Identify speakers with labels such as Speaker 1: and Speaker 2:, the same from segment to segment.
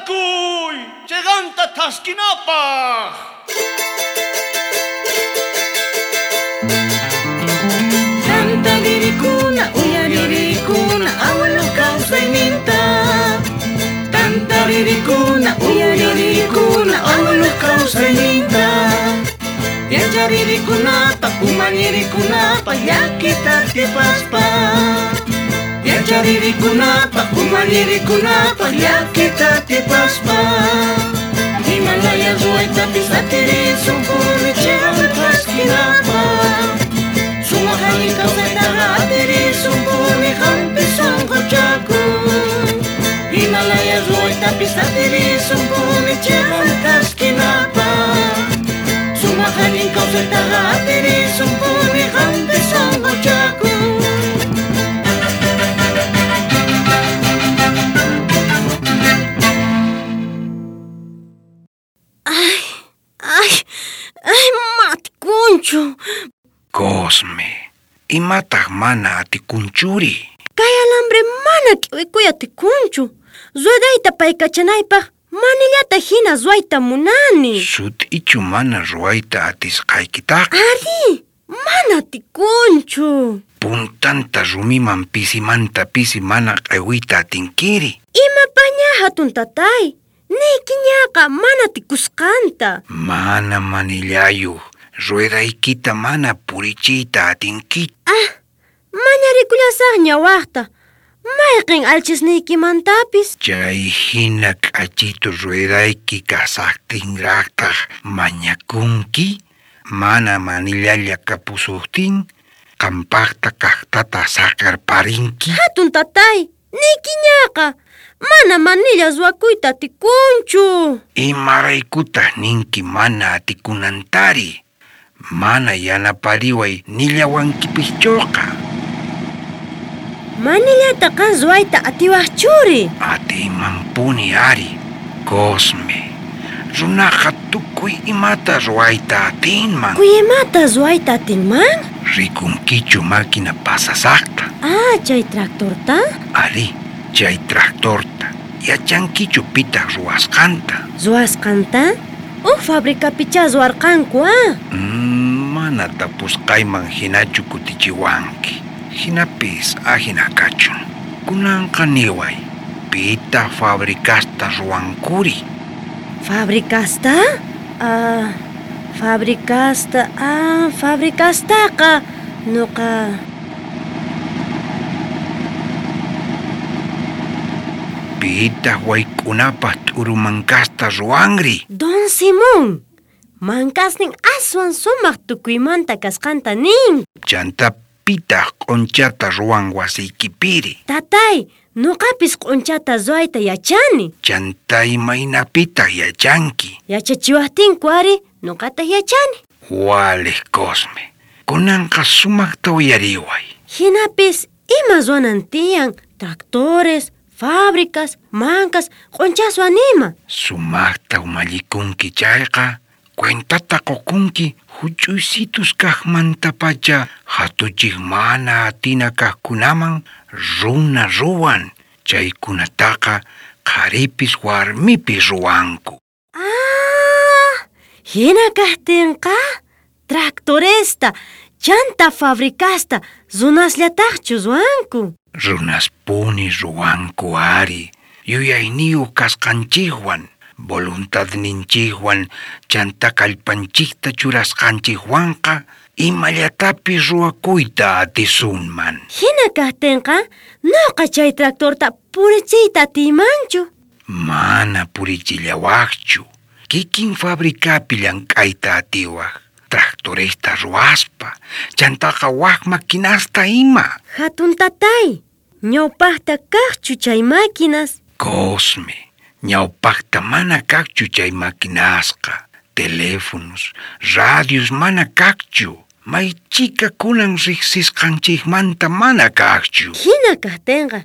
Speaker 1: Tantakuy cheqanta thaskinapaj.
Speaker 2: Tantaririkuna, uyaririkuna, abuelo kawsayninta. Tantaririkuna, uyaririkuna, abuelo kawsayninta. Yacharirikunapa, umallirikunapa, llakita atipaspa. Yacharirikunapa, umallirikunapa, llakita atipaspa. Himalaya ruwaytapis atirisunpuni chiqan thaskinapaj. Sumaq allin kawsaytaqa atirisunpuni qampi sunquchakuy. Himalaya ruwaytapis atirisunpuni chiqan thaskinapaj. Sumaq allin kawsaytaqa atirisunpuni qampi sunquchakuy.
Speaker 3: Ay, ay, ay, matikunchu.
Speaker 4: Cosme, imataq mana atikunchuri?
Speaker 3: Kay alambre mana k'iwikuy atikunchu. Ruedayta paykachanaypaq manillata hina ruwayta munani.
Speaker 4: Sut'ichu mana ruwayta atisqaykitaqa.
Speaker 3: Ari, mana atikunchu.
Speaker 4: Puntanta rumiman pisimanta pisi mana q'ewiyta atinkiri.
Speaker 3: Imapaña hatun tatay? Niykiñaqa mana atikusqanta.
Speaker 4: Mana manillayuq, ruedaykita mana purichiyta atinkichu.
Speaker 3: Ah, mañarikullasaqña waqta. Mayqin alchisniykimantapis.
Speaker 4: Chay hina k'achitu ruedayki kasaqtinraqtaq mañakunki, mana manillalla kapusuqtin, qampaqta kaqtata saqerparinki.
Speaker 3: Hatun tatay, niykiñaqa. Mana manilla ruwakuyta atikunchu.
Speaker 4: Imaraykutaq ninki mana atikunantari? Mana yanapariway nillawankipischuqa.
Speaker 3: Manillata qan ruwayta atiwaqchuri.
Speaker 4: Atiymanpuni ari, Cosme. Runaqa tukuy imata ruwayta atinman.
Speaker 3: Kuy imata ruwayta atinman?
Speaker 4: Rikunkichu máquina pasasaqta.
Speaker 3: Ah, chay tractorta?
Speaker 4: Ari, chay tractorta. Yachankichu pitaq ruwasqanta?
Speaker 3: Ruwasqanta? Uj fabricapichá ruwarqanku, ah.
Speaker 4: Mana tapusqayman hinachu kutichiwanki. Hinapis ajina kachun. Kunanqa niway, pitaq fabricasta ruwankuri?
Speaker 3: Fabricasta? Ah, fabricasta, ah, fabricastaqa nuqa.
Speaker 4: Pitaq wayk'unapaq t'urumankasta ruwanri?
Speaker 3: Don Simón, mankasnin aswan sumaq tukuymanta kasqanta nin.
Speaker 4: Chanta pitaq q'unchata ruwan wasiykipiri?
Speaker 3: Tatay, nuqapis q'unchata ruwayta yachani.
Speaker 4: Chanta imaynapitaq yachanki?
Speaker 3: Yachachiwaqtinku ari, nuqataq yachani.
Speaker 4: Waliq Cosme, kunanqa sumaqta uyariway.
Speaker 3: Hinapis ima ruwanan tiyan tractores, fábricas, mankas, q'unchaswan ima.
Speaker 4: Sumaqta umallikunki chayqa, cuentata qukunki huch'uysitus kaqmantapacha hatuchiq mana atina kaqkunaman runa ruwan. Chaykunataqa qharipis warmipis ruwanku.
Speaker 3: Ah, hina kaqtinqa tractoresta, chanta fabricasta runasllataqchu ruwanku.
Speaker 4: Runaspuni ruwanku ari, yuyayniyuq kasqanchikwan, voluntadninchikwan, chanta kallpanchikta churasqanchikwanqa imallatapis ruwakuyta atisunman.
Speaker 3: Hina kaqtinqa nuqa chay tractorta purichiyta atiymanchu.
Speaker 4: Mana purichillawaqchu. Kikin fabricapi llank'ayta atiwaq. Tractoresta ruwaspa, chantaqa wak maquinasta ima.
Speaker 3: Hatun tatay, ñawpaqta kaqchu chay máquinas?
Speaker 4: Cosme, ñawpaqta mana kaqchu chay maquinasqa. Teléfonos, radios mana kaqchu. Maychika kunan riqsisqanchikmanta mana kaqchu.
Speaker 3: Hina kaqtinqa,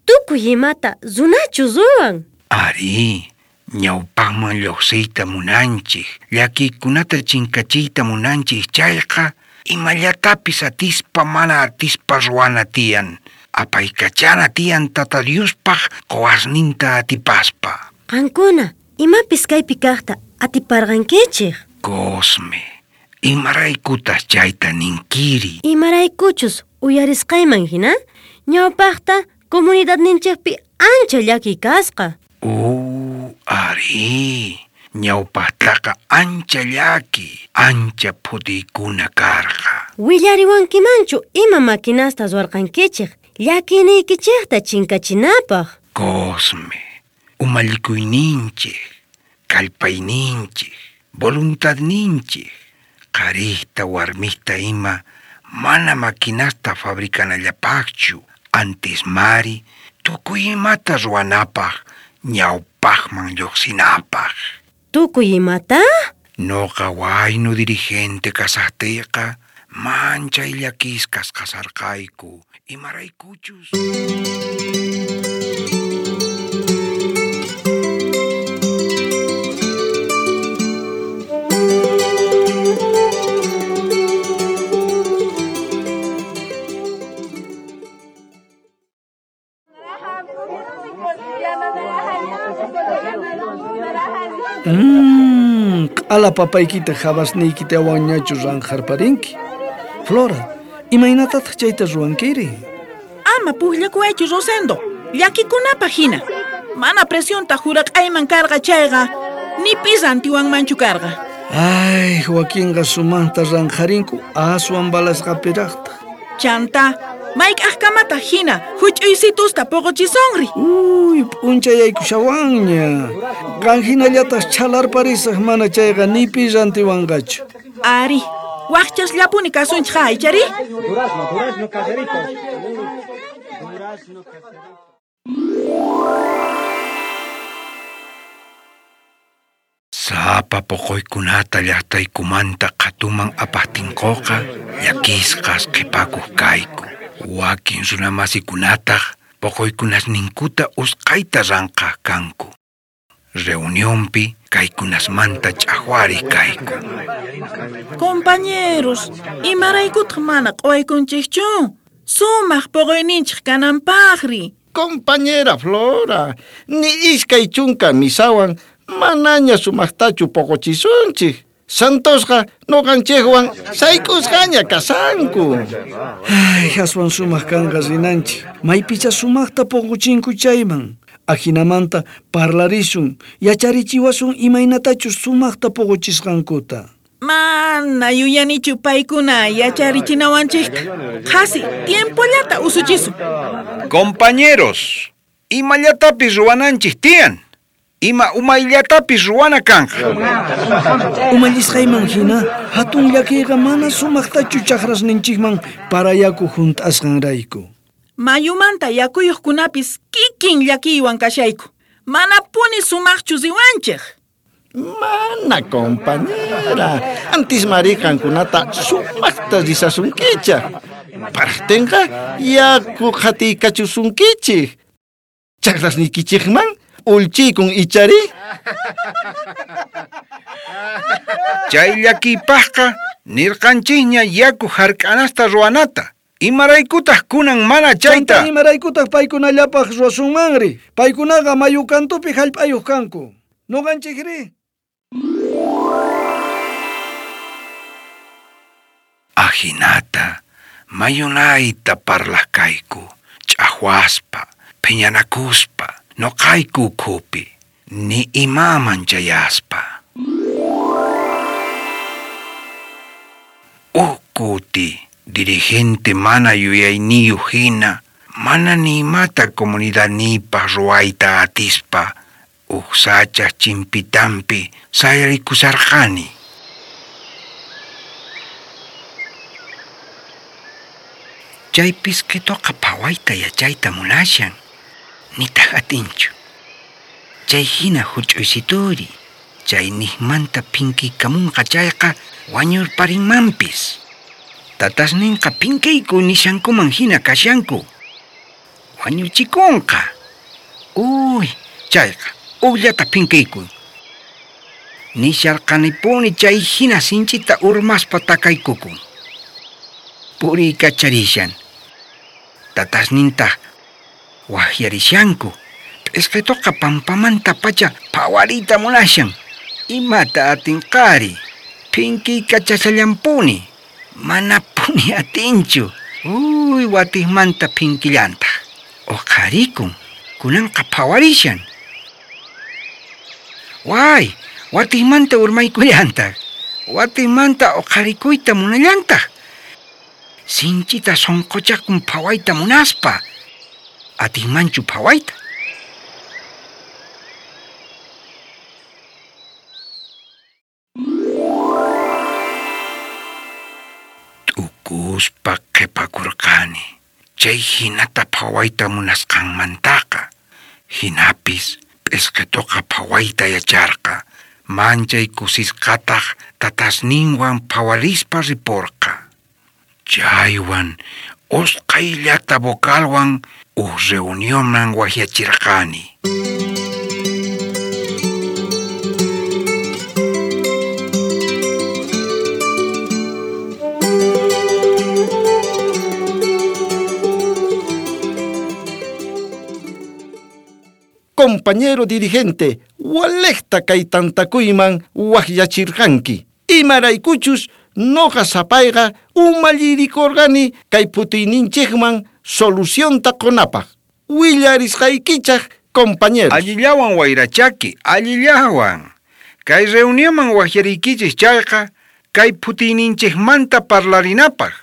Speaker 3: tukuy imata runachu ruwan.
Speaker 4: Ari, ñawpaqman lluqsiyta munanchik, llakiykunata chinkachiyta munanchik chayqa, imallatapis atispa mana atispa ruwana tiyan. Apaykachana tiyan Tata Diospaq quwasninta atipaspa.
Speaker 3: Qankuna, imapis kaypi kajta atiparqankichej.
Speaker 4: Cosme, imaraykutaj chayta ninkiri?
Speaker 3: Imaraykuchus uyarisqayman hina, ñawpaqta comunidadninchikpi ancha llakiy kasqa.
Speaker 4: Arí, ñawpaqtaqa ancha llaki, ancha phutiykuna karqa.
Speaker 3: Willariwankimanchu ima maquinasta ruwarqankichej llakiyniykichejta chinkachinapaq.
Speaker 4: Cosme, umallikuyninchej, kallpayninchej, voluntadninchej, qharista warmista ima mana maquinasta fabricanallapaqchu, antes mari tukuy imata ruwanapaq ñawpaqman lluqsinapaq.
Speaker 3: Tukuy imata?
Speaker 4: Noqa waynu dirigente kasaqtiyqa manchay llakisqas kasarqayku, imaraykuchus.
Speaker 5: Q'ala papaykita jabasniykitawanñachu ranqharparinki. Flora, imaynatataq chayta ruwankiri?
Speaker 6: Ama pujllakuwaychu, Rosendo. Llakikunapaq hina. Mana presionta juraq'ayman karqa chayqa, ni pi rantiwanmanchu karqa.
Speaker 5: Ay, wakinqa sumaqta ranqharinku aswan balasqapiraqtaq.
Speaker 6: Chanta, mayk'aqkamataq hina huch'uysitusta puquchisunri.
Speaker 5: Uy, p'unchayaykushawanña. Qan hinallataq chhalarparisaq mana chayqa ni pi rantiwanqachu.
Speaker 6: Ari, waqchasllapuni kasunchik aychari.
Speaker 4: Sapa poqoykunata llaqtaykumanta qhatuman apaqtinkuqa llakisqas qhipakuq kayku. Wakin runamasikunataq poqoykunasninkuta usqhayta ranqhaq kanku. Reunionpi kaykunasmanta ch'aqwariq kayku.
Speaker 6: Compañeros, imaraykutaq mana q'uwaykunchikchu? Sumaq poqoyninchik kananpaqri.
Speaker 7: Compañera Flora, ni iskay chunka misawan manaña sumaqtachu poqochisunchik. Santosqa noqanchikwan sayk'usqaña kasanku.
Speaker 5: Ay, aswan sumaq kanqa rinanchik. Maypicha sumaqta poqochinku chayman. Ajinamanta parlarisun, yacharichiwasun imaynatachus sumaqta poqochisqankuta.
Speaker 6: Mana yuyanichu paykuna yacharichinawanchikta. Qhasi tiempollata usuchisun.
Speaker 4: Compañeros, imallatapis ruwananchik tiyan. Ima umayllatapis ruwana kanqa.
Speaker 5: Umallisqayman hina, hatun llakiyqa mana sumaqtachu chakrasninchikman parayaku hunt'asqanrayku.
Speaker 6: Mayumanta yakuyuqkunapis kikin llakiywan kashayku. Manapuni sumaqchu riwanchik.
Speaker 7: Mana, compañera. Antis mari qankunata sumaqta risasunkichaq. Paraqtinqa yaku qhatiykachusunkichik. Chakrasniykichikman ulchiykun ichari.
Speaker 4: Chay llakiypaqqa nirqanchikña yaku hark'anasta ruwanata. Imaraykutaq kunan mana chayta?
Speaker 5: Chanta imaraykutaq paykunallapaq ruwasunmanri? Paykunaqa mayu kantupi hallp'ayuq kanku. Nuqanchikri?
Speaker 4: Ajinata mayunayta parlaq kayku, ch'aqwaspa, phiñanakuspa, noqayku ukhupi, ni imaman chayaspa. Uj kuti, dirigente mana yuyayniyuq hina, mana ni imata comunidadniypaq ruwayta atispa, uj sachaj chimpitanpi sayarikusarqani. Chay pisqituqa phawayta yachayta munashan, nitaq atinchu. Chay hina huch'uysituri, chay niqmanta phinkiykamunqa chayqa wañurparinmanpis. Tatasninqa phinkiyku nishankuman hina kashanku. Wañuchikunqa. Uy, chayqa ujllata phinkiyku. Nisharqanipuni chay hina sinchita urmaspa takaykukun. Puriykacharishan. Tatasnintaq waqyarishanku, P'isqituqa pampamantapacha phawariyta munashan. Imata atinqari? Phinkiykachashallanpuni. Manapuni atinchu. Uy, watiqmanta phinkillantaq. Uqharikun. Kunanqa phawarishan. Way, watiqmanta urmaykullantaq. Watiqmanta uqharikuyta munallantaq. Sinchita sunquchakun phawayta munaspa. Atinmanchu phawayta? T'ukuspa qhipakurqani. Chay hinata phawayta munasqanmantaqa. Hinapis p'isqituqa phawayta yacharqa. Manchay kusisqataq tatasninwan phawarispa riporqa. Chaywan usqhayllata vocalwan uj reunionman wajyachirqani.
Speaker 7: Compañero dirigente, walejta kay tantakuyman wajyachirqanki. Imaraykuchus noqa sapayqa umallirikurqani kay phutiyninchikman solucionta qunapaq. Willarisqaykichaq, compañeros.
Speaker 4: Allillawan wayrachaki, allillawan. Kay reunionman wajyariykichis chayqa, kay phutiyninchikmanta parlarinapaq.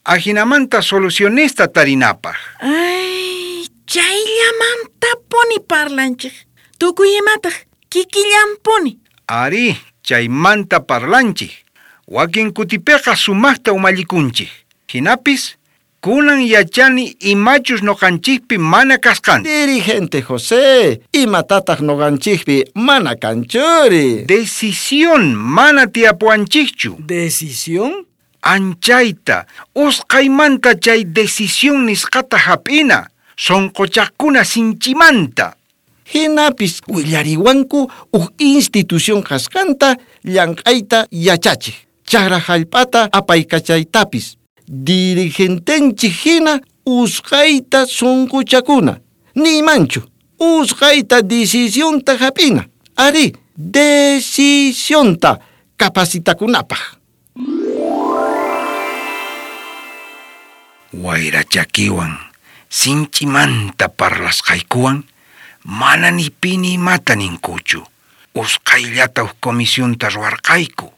Speaker 4: Ajinamanta solucionesta tarinapaq.
Speaker 6: Ay, chayllamantapuni parlanchik. Tukuy imataq kikillanpuni.
Speaker 4: Ari, chaymanta parlanchik. Wakin kutipiqa sumaqta umallikunchik. Hinapis, kunan yachani imachus noqanchikpi mana kasqanta.
Speaker 7: Dirigente José, imatataq noqanchikpi mana kanchuri.
Speaker 4: Decisión mana tiyapuwanchikchu.
Speaker 5: ¿Decisión?
Speaker 4: Anchayta, usqhaymanta chay decisión nisqata hap'ina, sunquchaqkuna sinchimanta.
Speaker 7: Hinapis willariwanku uj institución kasqanta llank'ayta yachachik. Chakra hallp'ata apaykachaytapis. Dirigentenchik hina usqhayta sunquchakuna. Niymanchu, usqhayta decisionta hap'ina. Ari, decisionta capacitakunapaq.
Speaker 4: Wayrachakiwan, sinchimanta parlasqaykuwan, mana ni pi ni imata ninkuchu. Usqhayllata uj comisionta ruwarqayku.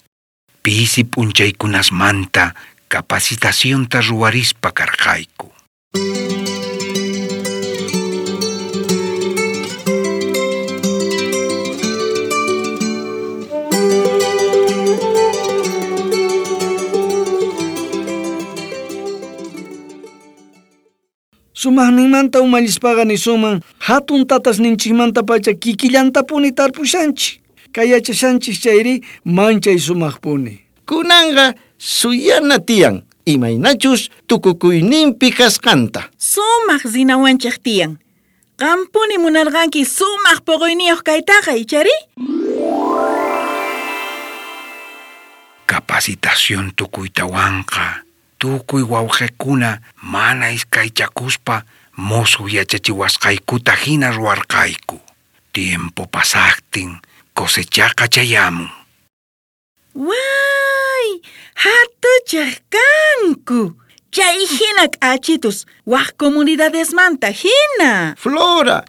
Speaker 4: Pisi p'unchaykunasmanta capacitacionta ruwarispa karqayku.
Speaker 5: Sumaqninmanta umallispaqa nisuman hatun tatasninchikmantapacha kikillantapuni tarpushanchik. Kay yachashanchik chayri manchay sumaqpuni.
Speaker 7: Kunanqa suyana tiyan, imaynachus tukukuyninpi kasqanta.
Speaker 6: Sumaq rinawanchik tiyan. Qampuni munarqanki sumaq puquyniyuq kaytaqa, ichari?
Speaker 4: Capacitación tukuytawanqa, tukuy wawqikuna mana iskaychakuspa musuq yachachiwasqaykuta hina ruwarqayku. Tiempo pasaqtin cosechaqa chayamun.
Speaker 6: Way, hatuchaq kanku. Chay hina k'achitus, wak comunidadesmanta hina.
Speaker 7: Flora,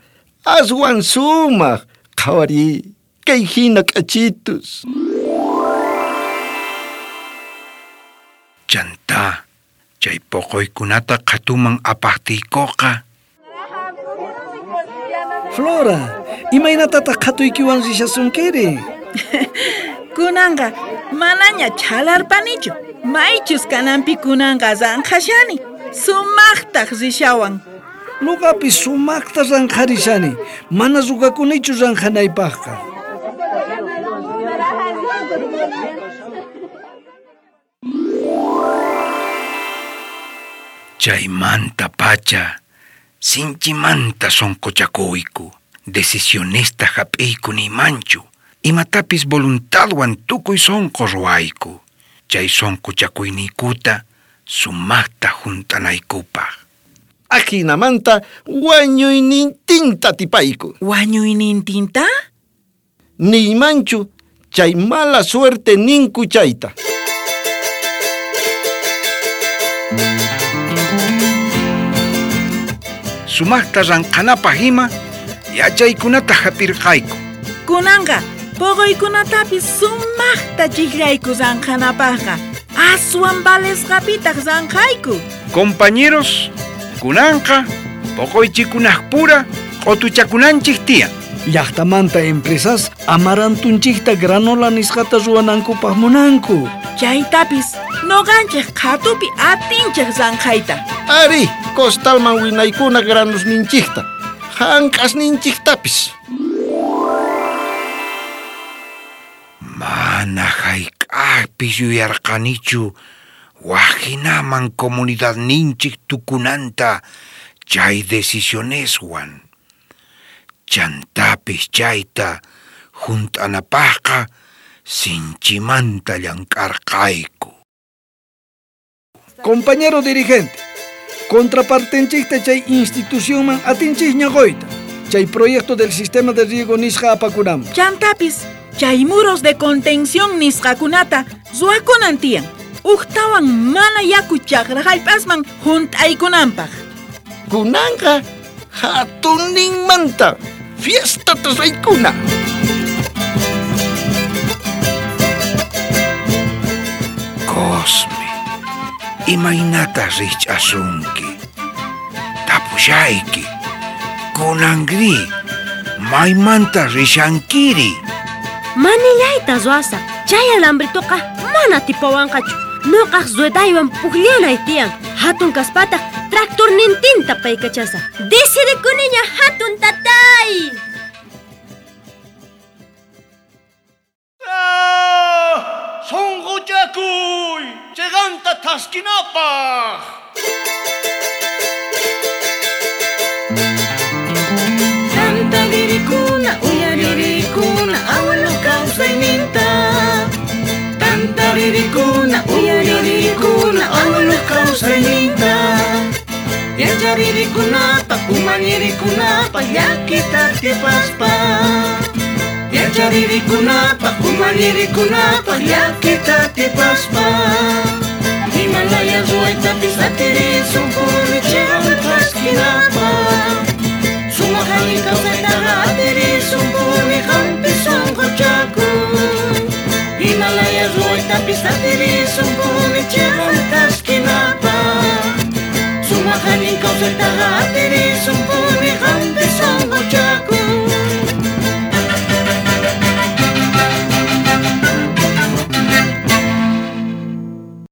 Speaker 7: aswan sumaq, qhawari, kay hina k'achitus.
Speaker 4: Chantá, chay poqoykunata qhatuman apaqtiykuqa.
Speaker 5: Flora, imaynatataq qhatuykiwan rishasunkiri?
Speaker 6: Kunanqa manaña chhalarpanichu. Maychus kananpi kunanqa ranqhashani. Sumaqtaq rishawan.
Speaker 5: Nuqapis sumaqta ranqharishani. Mana rugakunichu ranqhanaypaqqa.
Speaker 4: Chaymanta pacha, sinchimanta sunquchakuyku. Decisionesta hap'iyku nimanchu. Imatapis voluntadwan tukuy sunqu ruwayku. Chay sunquchakuyniykuta sumaqta hunt'anaykupaq.
Speaker 7: Ajinamanta wañuynintinta atipayku.
Speaker 6: Wañuynintinta?
Speaker 7: Niymanchu chay mala suerte ninku chayta.
Speaker 4: Sumaqta ranqhanapaq ima yachaykunata hap'irqayku.
Speaker 6: Kunanqa poqoykunatapis sumaqta chiqllayku ranqhanapaqqa. Aswan valesqapitaq ranqhayku.
Speaker 4: Compañeros, kunanqa poqoychikunaqpura q'utuchakunanchik tiyan.
Speaker 5: Llaqtamanta empresas amarantunchikta granola nisqata ruwanankupaq munanku.
Speaker 6: Chaytapis noqanchik qhatupi atinchik ranqhayta.
Speaker 7: Ari, costalman winaykuna granusninchikta, hank'asninchiktapis.
Speaker 4: Mana hayk'aqpis yuyarqanichu wajinaman comunidadninchik tukunanta chay decisioneswan. Chantapis chayta junt'anapaqqa sinchimanta llank'arqayku.
Speaker 5: Compañero dirigente, contrapartenchikta chay institucionman atinchikña qoyta. Chay proyecto del sistema de riego nisqa apakunanpaq.
Speaker 6: Chantapis chay muros de contención nisqakunata ruwakunan tiyan. Ujtawan mana yaku chaqra hallp'asman junt'aykunanpaq.
Speaker 7: Kunanqa hatunninmanta fiestata raykuna.
Speaker 4: Cosme, imaynata rikch'asunki? Tapushayki, kunanri, maymanta rishankiri?
Speaker 3: Manillayta ruwasaq. Chay alambritoqa mana tipawanqachu. Noqaq ruedaywan pukllanay tiyan. Hatun kaspataq tractornintinta paykachasaq. Decidikuniña hatun tatay.
Speaker 1: Sonqochakuy, cheganta thaskinapaq.
Speaker 2: Tantaririkuna, uyaririkuna, abuelo kawsayninta. Tantaririkuna, uyaririkuna, abuelo kawsayninta. Yacharirikunapaq, umallirikunapaq, llakita atipaspa. Yacharirikunapaq, umallirikunapaq, llakita atipaspa. Himalaya ruwaytapis atirisunpuni chiqan thaskinapaq. Sumaq allin kawsaytaqa atirisunpuni qampi sunquchakuy. Himalaya ruwaytapis atirisunpuni chiqan thaskinapaq. Sumaq allin kawsaytaqa atirisunpuni.